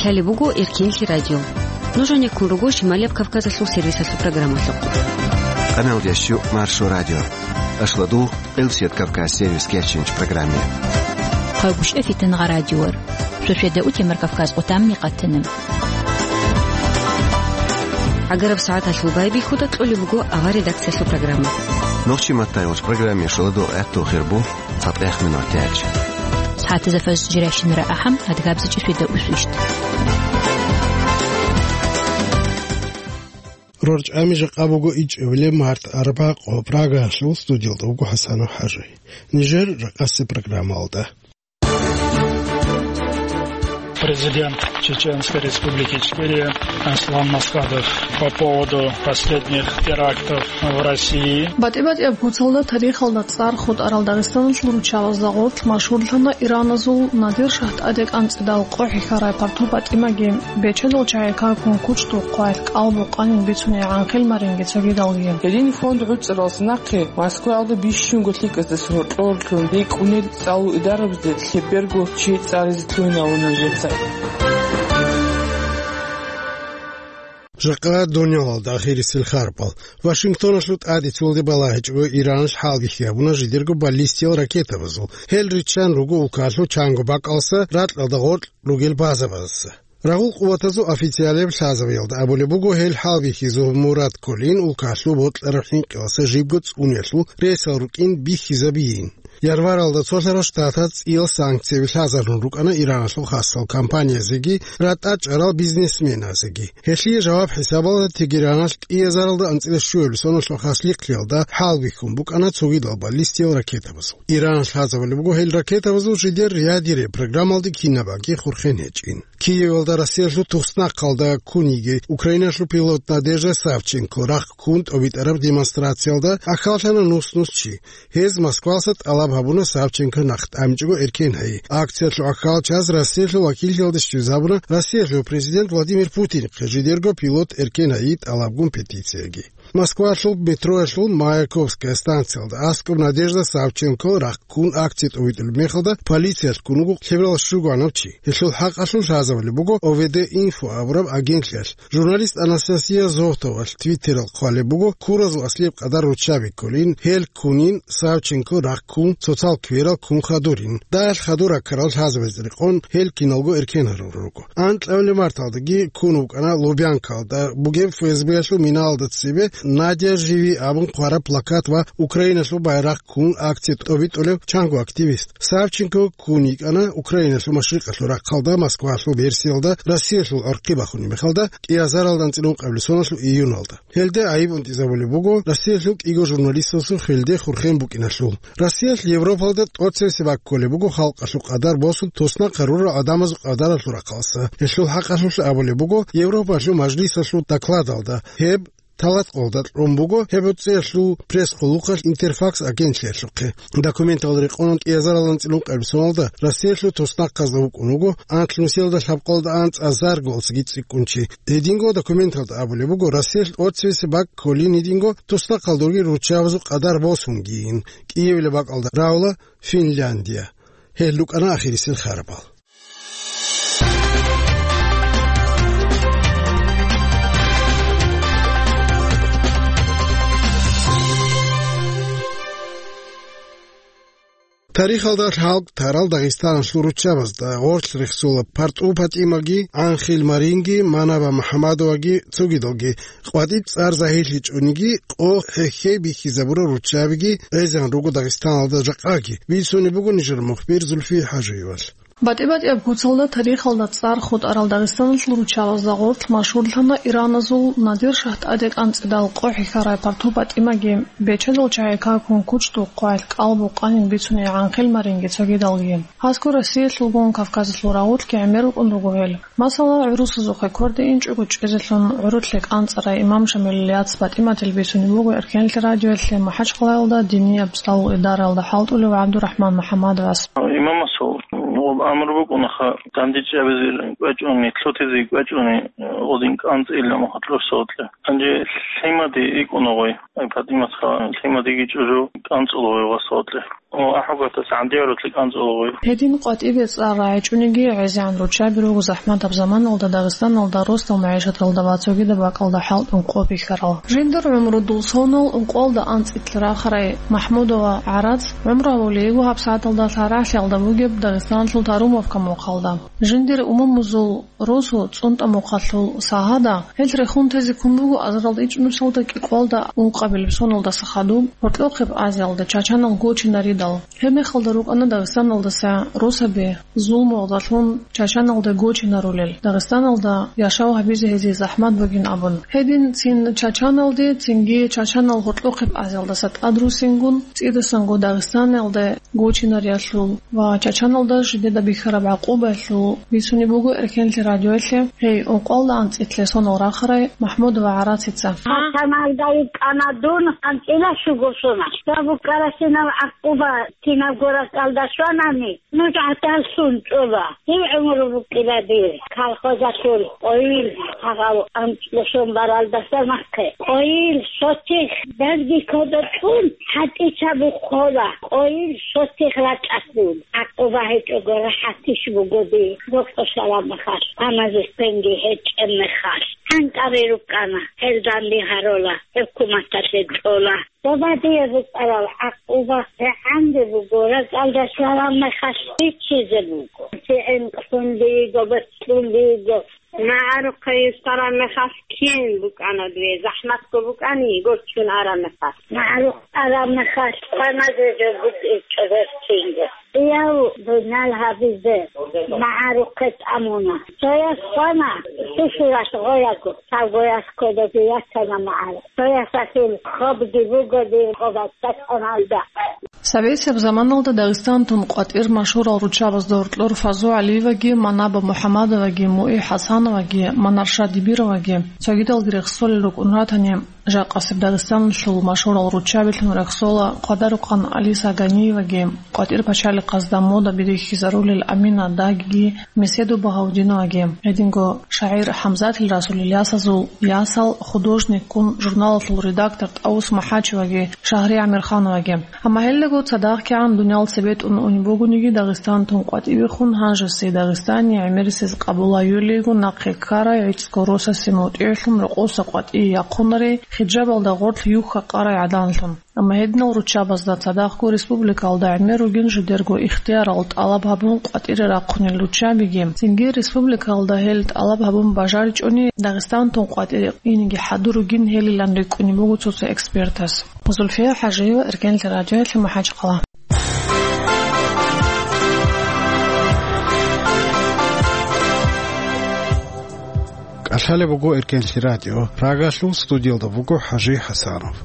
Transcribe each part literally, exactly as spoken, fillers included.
Лъалеб буго Эркенлъи радио. Нуж гьанеккун руго Шималияб Кавказалъул сервисалъул программалъухъ. Къаналдияс чу Маршо радио. Ашладу Элсият Кавказ сервис кечинч программе. Хъагушев Фитнагъа радиор. Шошеда утемар Кавказ къутам микъатана. Агараб сагӀаталъул байбихьуда кьолеб буго авар редакциялъул программа. Нохчи маттайгъуч программе шоладу гӀатту хирбу. ЦатӀехъ минут тяч. СагӀатазда фажр жирайщинара ахӀам, адгабзичӀи шведа усвищт. РорчӀами жакъа буго ичӀабилеб март арбакъо Прагаялъул студиялда вуго ХӀасанов ХӀажи. Нижер ракъаси программалда. Президент Чеченской Республики Ичкерия Аслан Масхадов по поводу последних терактов в России. БатӀи-батӀияб куцалда тарихалда цӀар хутӀарал Дагъистаналъул руччабазда гъорлъ машгьурлъана Ираназул Надир-шагь тӀаде кӀанцӀидал къо хӀехьарай парту ПатӀимаги, бечедал чагӀи какун кучӀдул хъвалъ кӀал букъанин бицуней гӀанхъил маринги цогидалги. Гьедин фонд гӀуцӀаралса нахъе Москваялда бищунго лъикӀаздаса гьоркьор-гьоркьун рикӀкӀунел цӀалул идарабазде лъеберго чи цӀаризе лъугьинавуна жеца. Жакъа дунялалда ахирисел харпал. Вашингтоналъул тӀаде цолде балагьичӀого Иранас хӀалбихьи гьабуна жидерго баллистиял ракетабазул. Гьел риччан руго улкалъул чанго бакӀалса ракьалда гъоркь ругел базабазаса. Рагъул къуватазул официалияб лъазабиялда абулеб буго гьел хӀалбихьизул мурад кколин улкалъул бокьараб хӀинкъиялдаса жибго цӀуниялъул ресал рукӀин бихьизабиин. Январалда цолъарал штатаз цӀиял санкцияби лъазарун рукӀана Ираналъул хасал компаниязеги ратӀа чӀарал бизнесменазеги. Гьелъие жаваб хӀисабалда Тегераналъ кӀиазаралда анцӀила щуябилеб соналъул хас лихълиялда хӀалбихьун букӀана цогидал баллистиял ракетабазул. Иранас лъазабулеб буго гьел ракетабазул жидер ядерный программалде кинабанги хурхен гьечӀин. Киевалда Россиялъул туснахъалда ккун йиги Украиналъул пилот Надежда Савченко рахъ ккун тӀобитӀараб демонстрациялда ахьаллъана нус-нус чи. Гьез Москвалъа тӀалаб гьабуна Савченко нахъ тӀамичӀого эркен гьайи. Акциялъул ахьалчаз Россиялъул вакиллъиялде щвезабуна Россиялъул президент Владимир Путинихъе жидерго пилот эркен гьайи тӀалабгун петицияги. Москвалъул метроялъул Маяковская станциялда аскӀоб Надежда Савченко рахъ ккун акция тӀобитӀулеб мехалда полициялъ ккун вуго лъеберал щугоанав чи. Гьелъул хӀакъалъулъ лъазабулеб буго О В Д Инфо абураб агентлъиялъ. Журналист Анастасия Зотовалъ Твиттералъ хъвалеб буго, ккуразул аслияб къадар руччаби кколин, гьел ккунин, Савченко рахъ ккун, цоцал кверал ккун хадурин. Дагьалъ хадур раккарал лъазабазе рекъон гьел киналго эркен гьарурал руго. Анкьабилеб марталдаги ккун вукӀана Лубянкалда бугеб Ф С Б-ялъул миналда цебе «Надя, живи» абун хъвараб плакат ва Украиналъул байрахъ ккун акция тӀобитӀулев чанго активист. Савченко ккун йикӀана Украиналъул машрикъалъул рахъалда, Москвалъул версиялда, Россиялъул гӀорхъи бахунеб мехалда, кӀиазаралда анцӀила ункъабилеб соналъул июналда. Гьелде гӀайиб унтӀизабулеб буго Россиялъул кӀиго журналистасул хвелде хурхен букӀиналъул. Россиялъ Европалда тӀоцебесеб баккулеб буго халкъалъул къадар босун туснахъ гьарурал гӀадамазул къадаралъул рахъалъа. Гьелъул хӀакъалъулъ абулеб буго Европалъул мажлисалъул докладалда, гьеб талатӀкъолда кьун буго гьеб гӀуцӀиялъул пресс-къуллукъалъ Интерфакс агентлъиялъухъе. Документалда рекъон кӀиазаралда анцӀила ункъабилеб соналда Россиялъул туснахъазда вукӀун вуго анлънусиялда лъабкъолда анцӀазарго цӀикӀкӀунчи. Гьединго документалда абулеб буго, Россиялъ тӀоцебесеб бакӀ кколин гьединго туснахъалда ругел руччабазул къадар босунгийин. КӀиявилеб бакӀалда равла Финляндия. Гьел рукӀана ахирисел харабал. Тарихалда лъалкӀ тарал Дагъистаналъул руччабазда гъорлъ рехсола парту ПатӀимаги, гӀанхъил маринги, Манаба МухӀамадоваги, цогидалги, къватӀиб цӀар загьирлъичӀониги, къо хӀехьей бихьизабурал руччабиги гӀезегӀан руго Дагъистаналда жакъаги. Бицунеб буго нижер мухбир Зульфия ХӀажиевалъ. БатӀи-батӀияб куцалда тарихалда цӀар хутӀарал Дагъистаналъул руччабазда гъорлъ машгьурлъана Ираназул Надир-шагь тӀаде кӀанцӀидал къо хӀехьарай парту ПатӀимаги, бечедал чагӀи какун кучӀдул хъвалъ кӀал букъанин бицуней гӀанхъил маринги цогидалги. Гьасго Россиялъулгун Кавказалъул рагъулъги гӀемер рукӀун руго гьел. Масала, гӀурусазухъе кверде инчӀого чӀезелъун гӀурулъе кӀанцӀарай имам Шамилил яц ПатӀиматил бицунеб буго Эркенлъи радиоялъе МахӀачхъалаялда динияб цӀалул идараялда хӀалтӀулев ГӀабдурахӀман МухӀаммадовас. Имамасул Гъоб амру букӀунаха, дандечӀабизе кӀвачӀуни, лъутизе кӀвачӀуни, гъодин кӀанцӀила мухъалъур сокьа. Гьанже лъимади икӀуна гъой. Ай, ПатӀиматха лъимадиги чӀужу кӀанцӀула гъой гъасолкье. О, ахӀугатас гӀандигарулъи кӀанцӀула гъой. Гьедин къватӀибе цӀар рагӀичӀониги гӀезегӀан руччаби руго захӀматаб заманалда Дагъистаналда росдал магӀишаталда ва цогидаб бакӀалда хӀалтӀун къо бихьарал. Жиндир гӀумру дул сонал ункъоялда анцӀила рахарай МахӀмудова ГӀарац гӀумру гьабулей йиго гьабсагӀаталда лъарагӀлъиялда бугеб Дагъистаналъул Тарумовка мухъалда. Жиндир умумузул росу цӀунтӀа мухъалъул сагьада, гьел рехун тезе ккун буго азаралда ичӀнусалда кӀикъоялда ункъабилеб соналдаса хадуб, гьоркьохъеб Азиялда чачанал гочинаридал. Гьеб мехалда рукӀана Дагъистаналдаса росаби зулмуялдалъун чачаналда гочинарулел, Дагъистаналда яшав гьабизе гьезие захӀмат бугин абун. Гьедин цин чачаналде, цинги чачанал гьоркьохъеб Азиялдаса тӀадрусингун, цӀидасанго Дагъистаналда гочинариялъул ва чачаналда жидеда бихьараб гӀакъубаялъул бицунеб буго Эркенлъи радиоялъе гьей ункъоялда анцӀила сонал рахарай МахӀмудова ГӀарацица. Чачаналда йикӀана дун анцӀила щуго сона. Ва букӀарасинаб гӀакъуба кинабго ракӀалда щванани, нуж гӀадаллъун чӀола. Дир гӀумру букӀила дир колхозалъул къойил гьагъав анцӀила сон баралдаса нахъе. Къойил сотих дазги кодо кьун, хӀатӀичаб бухъола, къойил сотих рачӀалъул. ГӀакъуба гьечӀого рахӀатищ бугоди, рокьо шараб мехалъ, гьаназухъенги гьечӀеб мехалъ. ГӀанкъаби рукӀана, гьел данде гьарола, гьукуматалъе кьола. Добадие букӀарал гӀакъуба рагӀанде буго, ракӀалда лъараб мехалъ биччизе буго. ГӀинкълъун биго, бацлъун биго. МагӀарухъе йисараб мехалъ кин букӀана дуе, захӀматго букӀани, гоччун араб мехалъ. МагӀарухъ араб мехалъ хвана жо букӀин чӀобер кинго. Яв дунал гьабизе магӀарухъе тӀамуна. Цояс хвана сусуралъ гъояго, цавгояс кодобе ятана магӀарухъ. Цоясалъул хобги буго дир къо бацӀцӀалъаналда. Советияб заманалда Дагъистан тун къватӀир машгьурал руччабазда гьоркьор Фазу ГӀалиеваги, Манаба МухӀамадоваги, МугӀи ХӀасановаги, Манарша Дибироваги, цогидалги рехсолел рукӀун ратани, жакъасеб Дагъистаналъул машгьурал руччабилъун рехсола Къадарухъан Алиса Ганиеваги, къватӀир пачалихъазда мода бирихьизарулел Амина Дагиги, Меседу Багьавдиноваги, гьединго шагӀир ХӀамзатил Расул Ильясазул ясал, художникгун журналалъул редактор ТӀаус МахӀачеваги, Шагьри ГӀамирхановаги. Амма гьелдаго цадахъ кигӀан дуниял цебетӀун унеб бугониги, Дагъистан тун къватӀивехун, гьанжеси Дагъистани гӀемерисез къабулайолейго нахъе ккарай гӀицӀго росасе мутӀигӀлъун рокъоса къватӀие яхъунарей, хиджабалда гъорлъ юхьа къарай гӀаданлъун. Амма гьединал руччабазда цадахъго республикалда гӀемер ругин жидерго ихтиярал тӀалаб гьабун къватӀире рахъунел руччабиги, цинги республикалда гьел тӀалаб гьабун бажаричӀони, Дагъистан тун къватӀире инеги хӀадур ругин гьелилан рикӀкӀунеб буго цо-цо экспертас. Зульфия ХӀажиева, Эркенлъи радиоялъе, МахӀачхъала. КӀалъалеб буго Эркенлъи радио. Прагалъул студиялда буго ХӀажи ХӀасанов.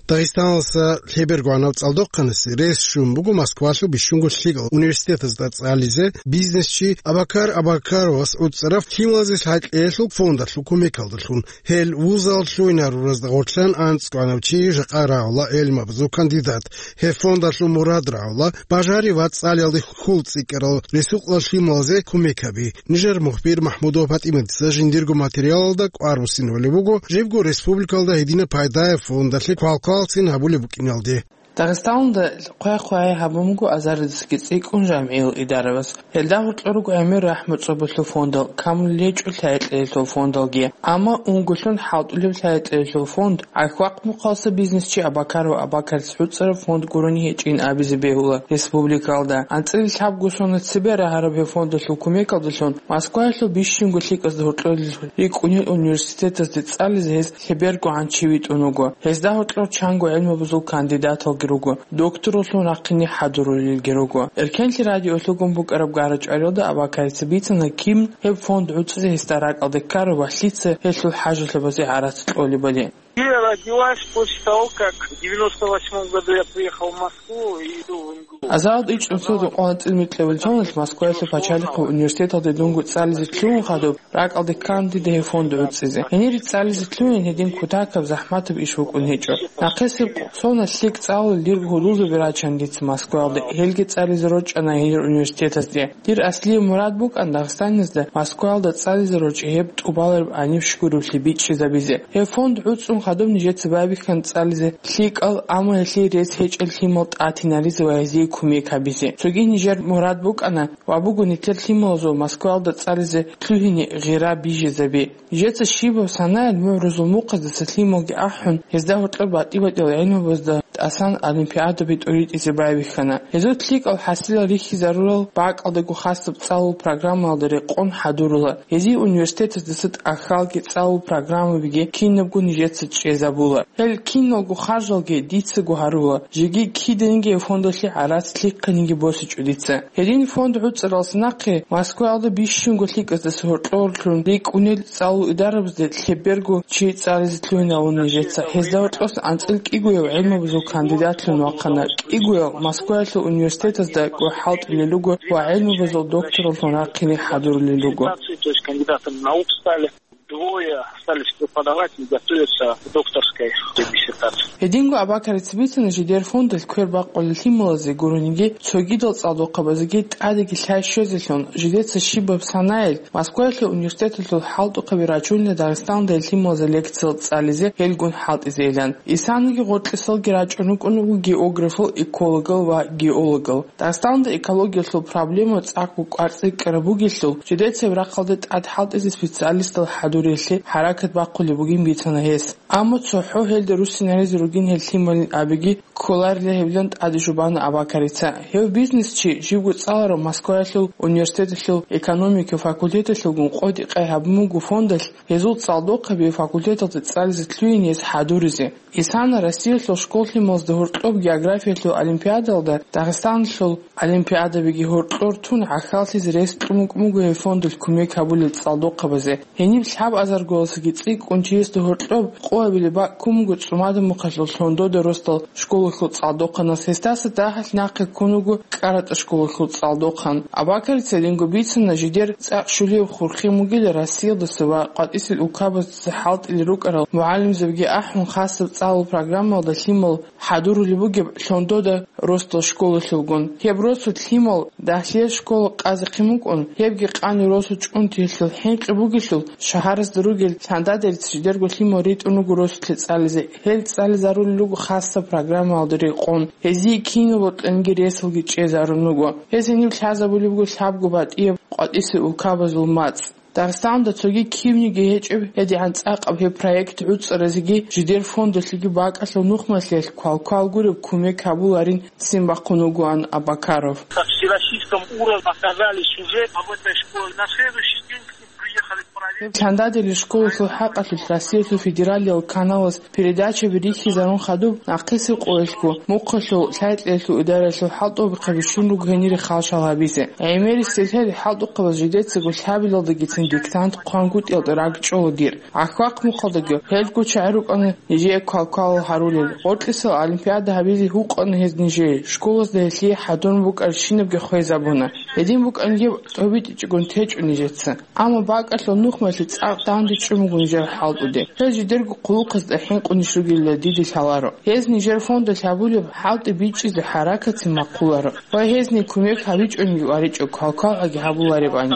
Дагъистаналдаса лъебергогӀанав цӀалдохъанасе рес щун буго Москвалъул бищунго лъикӀал университетазда цӀализе бизнесчи Абакар Абакаровас гӀуцӀарав лъималазе лъай кьеялъул фондалъул кумекалдалъун. Гьел вузал лъугьинаруразда гъорлъан анцӀгоанав чи жакъа рагӀула гӀелмабазул кандидат. Гьеб фондалъул мурад рагӀула бажари ва цӀалиялде хьул цӀикӀкӀарал ресукъла лъималазе кумек гьаби. Нижер мухбир МахӀмудова ПатӀиматица жиндирго материалалда кӀвар буссинабулеб буго жибго республикалда гьединаб пайдаяб фондалъе квалквалцин гьабулеб букӀиналде. Дагъистаналда хъвай-хъвай гьабун буго азаридасги цӀикӀкӀун жамгӀиял идарабаз. Гьелда гьоркьор руго гӀемер рахӀму цӀобалъул фондал, камулел гьечӀо лъай кьеялъул фондалги. Амма унгулъун хӀалтӀулеб лъай кьеялъул фонд, гӀахьвахъ мухъалса бизнесчи Абакаров Абакарис гӀуцӀараб фонд гурони гьечӀин абизе бегьула республикалда. АнцӀила лъабго сона цебе рагьараб гьеб фондалъул кумекалдалъун Москваялъул бищунго лъикӀазда гьоркьолел рикӀкӀунел университетазде цӀализе гьез лъебергогӀан чи витӀун вуго. Гьезда гьоркьор чанго гӀелмабазул кандидаталги руго. Докторлъун рахъине хӀадурулелги руго. Эркенлъи радиолъугун букӀараб гара-чӀвариялда Абакарица бицана кин гьеб фонд гӀуцӀизе гьесда ракӀалде ккараб ва лъица гьелъул хӀажалъабазе гӀарац кьолебали. Кияла Родилась после того, как в девяносто восьмом году я приехал в Москву и иду в МГУ. Азаралда ичӀнусул дукъана цӀилмикьабилчӀунал Москваялъул пачалихъ университеталде дунго цӀализе лъугьун хадуб, ракӀалде ккан дида гьев фонд гӀуцӀизе. Гьенире цӀализе лъугьин гьедин кутакаб, захӀматаб иш букӀун гьечӀо. Нахъисеб къо-, сона лъикӀ цӀалулел дирго гьудулзаби рачан дица Москваялде, гьелги цӀализе рорчӀана гьенир университетазде. Дир аслияб мурад букӀан Дагъистанизда Москваялда цӀализе рорчӀи гьеб тӀубалареб гьаниб щугуревлъи бичӀчӀизабизе. Гьеб фонд гӀуцӀун хадуб нижеца байбихьана цӀализе лъикӀал, амма гьелъие рес гьечӀел лъимал тӀатинаризе ва гьезие кумек гьабизе. Цоги нижер мурад букӀана ва буго нилъер лъималазул Москваялда цӀализе лъугьине гъира бижизаби. Нижеца щибаб санаялъ мугӀрузул мухъаздаса лъималги ахӀун, гьезда гьоркьор батӀи-батӀиял гӀелмабазда тӀасан олимпиадаби тӀуритӀизе байбихьана. Гьезул лъикӀал хӀасилал рихьизарурал бакӀалдаго хасаб цӀалул программаялда рекъон хӀадурула. Гьезие университетаздаса тӀахьалги цӀалул программабиги кинабго нижеца чӀезабула. Гьел киналго харжалги дицаго гьарула, жеги киданиги гьев фондалъе гӀарац лъихъаниги босичӀо дица. Гьедин фонд гӀуцӀаралдаса нахъе Москваялда бищунго лъикӀаздаса гьоркьорлъун рикӀкӀунел цӀалул идарабазде лъеберго чи цӀализе лъугьинавун нижеца. Гьезда гьоркьосан анцӀил кӀигояв гӀелмабазул кандидатлъун вахъана, кӀигояв Москваялъул университетазда гохӀалтӀулел руго ва гӀелмабазул доктораллъун рахъине хӀадурулел руго. То есть кандидатами наук стали. Двое остались преподавать и готовятся к докторской диссертации. Гьединго Абакарица бицана жидер фондалъ квер бакъулел лъималазе гурониги, цогидал цӀалдохъабазеги тӀадеги лъай щвезелъун, жидеца щибаб санаялъ Москваялъул университеталъул хӀалтӀухъаби рачунила Дагъистаналда лъималазе лекциял цӀализе гьелгун хӀалтӀизейилан. Исаниги гъоркьисалги рачӀун рукӀун руго географал, экологал ва геологал. Дагъистаналда экологиялъул проблема цӀакъго кӀварцӀикӀкӀараб бугелъул, жидецаяб рахъалде тӀад хӀалтӀизе специалистал хӀадуриялъе хӀаракат бахъулеб бугин бицана гьес. Амма цохӀо гьелда руссинаризе ругин гьел лъималин абиги кколарила гьебилан тӀаде жубана Абакарица. Гьев бизнесчи, живго цӀаларав Москваялъул университеталъул экономика факультеталъулгун къотӀи-къай гьабун буго фондалъ гьезул цӀалдохъаби факультеталде цӀализе лъугьине гьес хӀадуризе. Исана Россиялъул школлъималазда гьоркьоб географиялъул олимпиадалда Дагъистаналъул олимпиадабиги гьоркьор тун гӀахьаллъизе рес кьун букӀун буго гьев фондалъ кумек гьабулел цӀалдохъабазе. Гьениб лъабазаргоялдасаги цӀикӀкӀун чиясда гьоркьоб къо гьабилеб бакӀ ккун буго ЦӀумадамухъалъул Лъондода росдал школалъул цӀалдохъанас, гьесдаса дагьалъ нахъе ккун вуго КӀаратӀа школалъул цӀалдохъан. Абакарица гьединго бицана жидер цӀакъ щулияб хурхин бугила Россиялдаса ва къватӀисел улкабаздаса хӀалтӀулел рукӀарал мугӀалимзабиги ахӀун, хасаб цӀалул программаялда лъимал хӀадурулеб бугеб Лъондода росдал школалъулгун. Гьеб росулъ лъимал дагьлъиялъ школа къазехъин букӀун, гьебги къани росу чӀунтиялъул хӀинкъи бугелъул, шагьаразда ругел Лъандадерица жидерго лъимал ритӀун руго росулъе цӀализе. Гьел цӀализарулел руго хасаб программаялда рекъон, гьезие кинаб бокьаниги ресалги чӀезарун руго. Гьез гьениб лъазабулеб буго лъабго батӀияб къватӀисел улкабазул мацӀ. Дагъистаналда цоги кивниги гьечӀеб гьедигӀан цӀакъаб гьеб проект гӀуцӀаразеги жидер фондалъеги бакӀалъул нухмалъиялъ квалквал гуреб кумек гьабуларин ццин бахъун вугоан Абакаров. Как всероссийском уровне оказались уже об этой школе. На следующий день к ним приехали проверить. Гьеб Лъандадерил школалъул хӀакъалъулъ Россиялъул федералиял каналас передачаби рихьизарун хадуб, нахъисеб къоялъго мухъалъул лъай-кьеялъул идараялъул хӀалтӀухъаби щун руго гьенире халшал гьабизе. ГӀемерисел лъел хӀалтӀухъабаз жидецаго лъабилалдагицин диктант хъвангутӀиялда ракӀчӀола дир. ГӀахьвахъ мухъалдаги гьелго чагӀи рукӀана нижее квалквалал гьарулел. Гъоркьисел олимпиада гьабизе гьукъана гьез нижее, школазда гьелъие хӀадурун букӀарщинабги хвезабуна. Гьедин букӀанги тӀобитӀичӀогун течӀо нижеца. Амма бакӀалъул нухмалъи цӀакъ дандечӀун буго нижер хӀалтӀуде. Гьел жидерго хъулухъазда хӀинкъунищ ругелила дида лъаларо. Гьез нижер фондалъ гьабулеб хӀалтӀи бичӀчӀизе хӀаракатцин бахъуларо ва гьезни кумек гьабичӀониги варичӀо квалквалгӀаги гьабуларебани.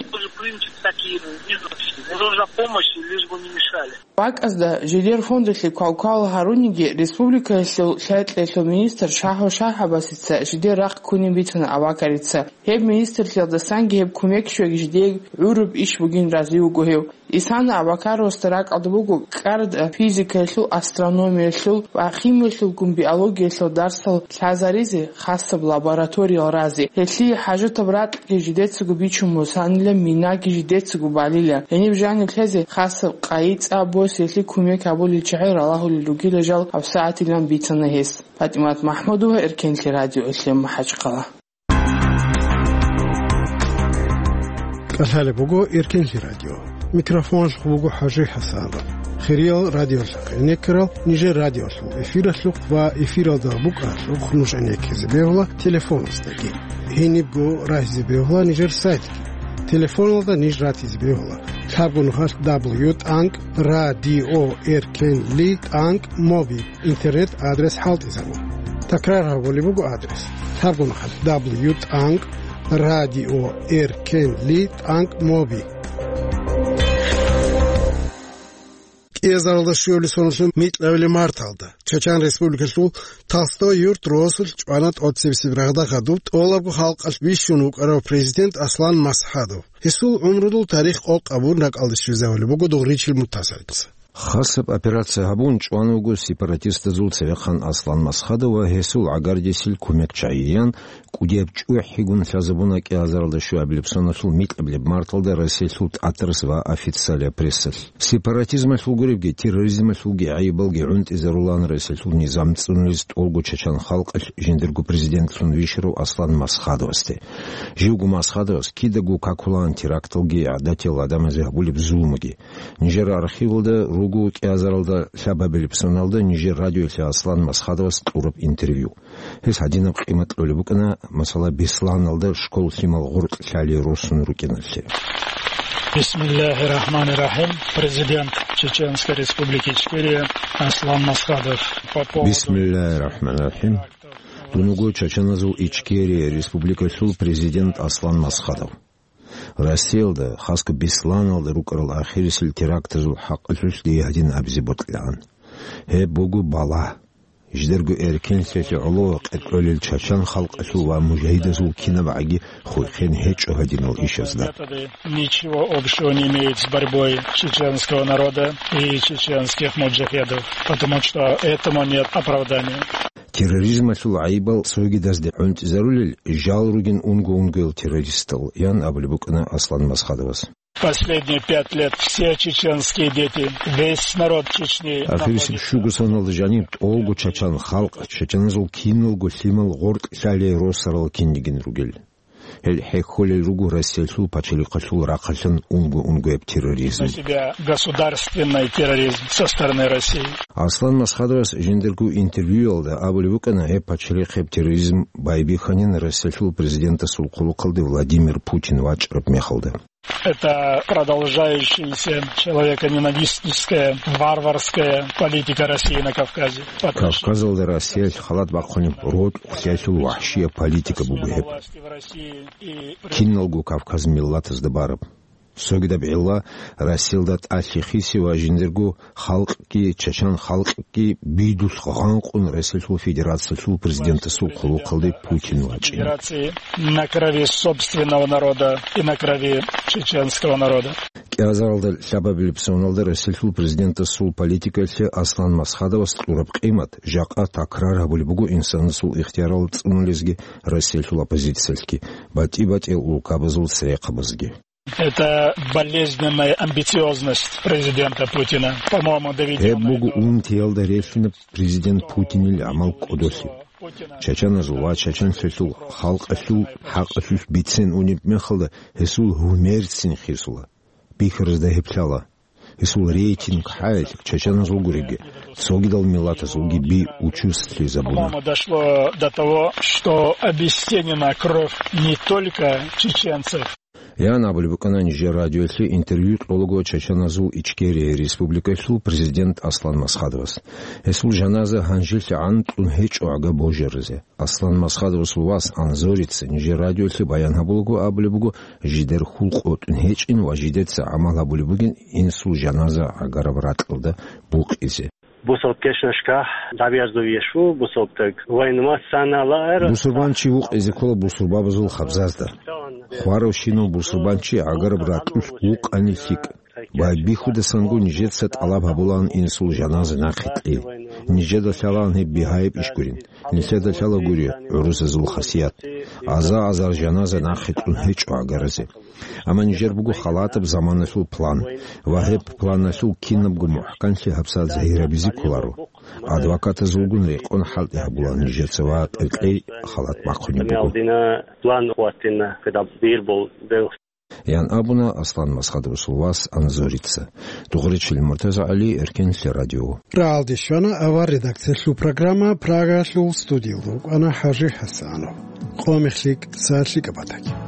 Нужна помощь, лишь бы не мешали. БакӀазда жидер фондалъе квалквал гьаруниги, республикаялъул лъай-кьеялъул министр Шагьо Шагьабасица жидер рахъ ккунин бицана Абакарица. Гьеб министрлъиялдасанги гьеб кумек щвеги жидее гӀураб иш бугин рази вуго гьев. Исана Абакаровасда ракӀалда буго КӀаратӀа физикаялъул, астрономиялъул ва химиялъулгун биологиялъул дарсал лъазаризе, хасаб лабораториял разе. Гьелъие хӀажатаб ракьги жидецаго бичун босанила, минаги жидецаго балила. Гьениб жаниб лъезе хасаб къайи-цӀа босиялъе кумек гьабулел чагӀи ралагьулел ругила жал гьабсагӀатилан бицана гьес. ПатӀимат МахӀмудова, Эркенлъи радио, Элъем, МахӀачхъала. КӀалъалеб буго Эркенлъи радио. Микрофоналъухъ буго ХӀажи ХӀасан. Хириял радиолъухъ гӀенеккарал нижер радиолъул эфиралъухъ ва эфиралда букӀаралъухъ нуж гӀенеккизе бегьула телефоназдаги. Гьенибго рагьизе бегьула нижер сайтги. Телефоналда ниж ратизе бегьула лъабго нухалъ дабл ю тӀанкӀ радио эркенли тӀанкӀ моби интернет адрес хӀалтӀизабун. Такрар гьабулеб буго адрес: лъабго нухалъ дабл ю тӀанкӀ радио эркенли тӀанкӀ моби. КӀиазаралда щуабилеб соналъул микьабилеб марталда Чачан Республикалъул Толстой юрт росулъ чӀвана тӀоцебесеб рагъда хадуб тӀолабго халкъалъ бищун вукӀарав президент Аслан Масхадов. Гьесул гӀумрудул тарих къокъабун ракӀалде щвезавулеб буго дугъричил мутасаллица. Хасаб операция гьабун чӀван вуго сепаратистазул цевехъан Аслан Масхадов ва гьесул гӀагардесил кумекчагӀиян кӀудияб чӀухӀигун лъазабуна кӀиазаралда щуабилеб соналъул микьабилеб марталда Россиялъул тӀатарас ва официалияб прессалъ. Сепаратизмалъул гуребги, терроризмалъулги гӀайибалги гӀунтӀизарулаан Россиялъул низам цӀунулез тӀолго чачан халкъалъ жиндирго президентлъун вищарав Аслан Масхадовасде. Живго Масхадовас кидаго какулаан теракталги гӀадатиял гӀадамазе гьабулеб зулмуги. Нижер архивалда руго кӀиазаралда лъабабилеб соналда нижер радиоялъе Аслан Масхадовас кьураб интервью. Гьес гьадинаб къимат кьолеб букӀана, масала, Бесланалда школ лъимал гъоркь лъалей росун рукӀиналъе. Бисмиллагьи рахӀмани рахӀим. Президент Чеченской Республики Ичкерия Аслан Масхадов. По поводу Бисмиллагьи рахӀмани рахӀим. Дун вуго Чачаназул Ичкерия Республикалъул президент Аслан Масхадов. Россиялда, хасго Бесланалда рукӀарал ахирисел терактазул хӀакъалъулъ дие гьадин абизе бокьилаан. Гьеб буго балагь. Жидерго эркенлъиялъе гӀоло къеркьолел чачан халкъалъул ва мужагьидазул кинабгӀаги хурхен гьечӀо гьадинал ишазда. Методы ничего общего не имеют с борьбой чеченского народа и чеченских муджахедов, потому что этому нет оправдания. Терроризмалъул гӀайибал цогидазде гӀунтӀизарулел жал ругин унго-унгоял террористал, ян абулеб букӀана Аслан Масхадовас. Последние пять лет все чеченские дети, весь народ Чечни Ахирисеб находится щуго соналда жаниб тӀолго чачан халкъ, чачаназул киналго лъимал гъоркь лъалей росарал кинигин ругел. Гьел хӀехьолел руго Россиялъул пачалихъалъул рахъалъан унго-унгояб терроризм. На себя государственный терроризм со стороны России. Аслан Масхадовас жиндирго интервьюялда абулеб букӀана, гьеб пачалихъеб терроризм байбихьанин Россиялъул президентасул хъулухъалде Владимир Путин вачӀараб мехалда. Это продолжающаяся человеконенавистническая, варварская политика России на Кавказе. По отношению Кавказалда Россиялъ халат бахъунеб рокьулъиялъул вахӀшияб политика буго гьеб. Власти в России и Киналго Кавказ миллатазда бараб. Цогидаб гӀилла Россиялда тӀалъи хиси ва жиндирго халкъги, чачан халкъги бидулъ гъанкъун Россиялъул Федерациялъул президентасул хъулухъалде Путин вачӀин. Федерации на крови собственного народа и на крови чеченского народа. КӀиазаралда лъабабилеб соналда Россиялъул президентасул политикаялъе Аслан Масхадовас кьураб къимат жакъа такрар гьабулеб буго инсанасул ихтиярал цӀунулезги Россиялъул оппозициялъги, батӀи-батӀиял улкабазул церехъабазги. Это болезненная амбициозность президента Путина, по-моему, доведённая Гьеб буго до унтиялда релълъинаб президент Путинил гӀамал кӀодолъи. Чачаназул ва чачанлъиялъул халкъалъул хӀакъалъулъ бицен унеб мехалда гьесул гьумерцин хисула. Бихьаразда гьеб лъала. Гьесул рейтинг хӀаялъ чачаназул гуребги, цогидал миллатазулги би учуслъизабуна. По-моему, дошло до того, что обесценена кровь не только чеченцев. Ян абулеб букӀана нижер радиоялъе интервью кьолаго Чачаназул Ичкерия Республикалъул президент Аслан Масхадовас. Гьесул жаназа гьанжелъагӀан кьун гьечӀо гӀага божаризе. Аслан Масхадовасул вас Анзорица нижер радиоялъе баян гьабулаго абулеб буго, жидер хьул къотӀун гьечӀин ва жидеца гӀамал гьабулеб бугин инсул жаназа гӀагараб ракьалда букъизе. Бусалб кечӀнашкахь дабиязда виеш ву, бусалбтаг вайнамаз санала эр. Бусурбанчи вукъизе ккола бусурбабазул хабзазда. Хваравщинав бусурбанчи гӀагараб ракьулъ вукъани лъикӀ. Байбихьудасанго нижеца тӀалаб гьабулаан инсул жаназа нахъе кьей. Нижеда лъалаан гьеб бигьаяб иш гурин. Нилъеда лъала гури гӀурусазул хасият. Аза-азар жаназа нахъе кьун гьечӀо гӀагаразе. Амма нижер буго халатаб заманалъул план. Ва гьеб планалъул кинабго мухӀканлъи гьабсагӀат загьирабизе кколаро. Адвокатазулгун рекъон хӀалтӀи гьабулаан нижеца ва кьекьей халат бахъунеб буго. План хваттина, когда бир бол ян абуна Аслан Масхадов вас Анзорица. Дугъричил Муртаза ГӀали, Эркенлъи радио. РагӀалде щвана авар редакциялъул программа, Прагаялъул студиялда рукӀана ХӀажи ХӀасанов. Къо мехлъи, сагӀат лъикӀаб батаги.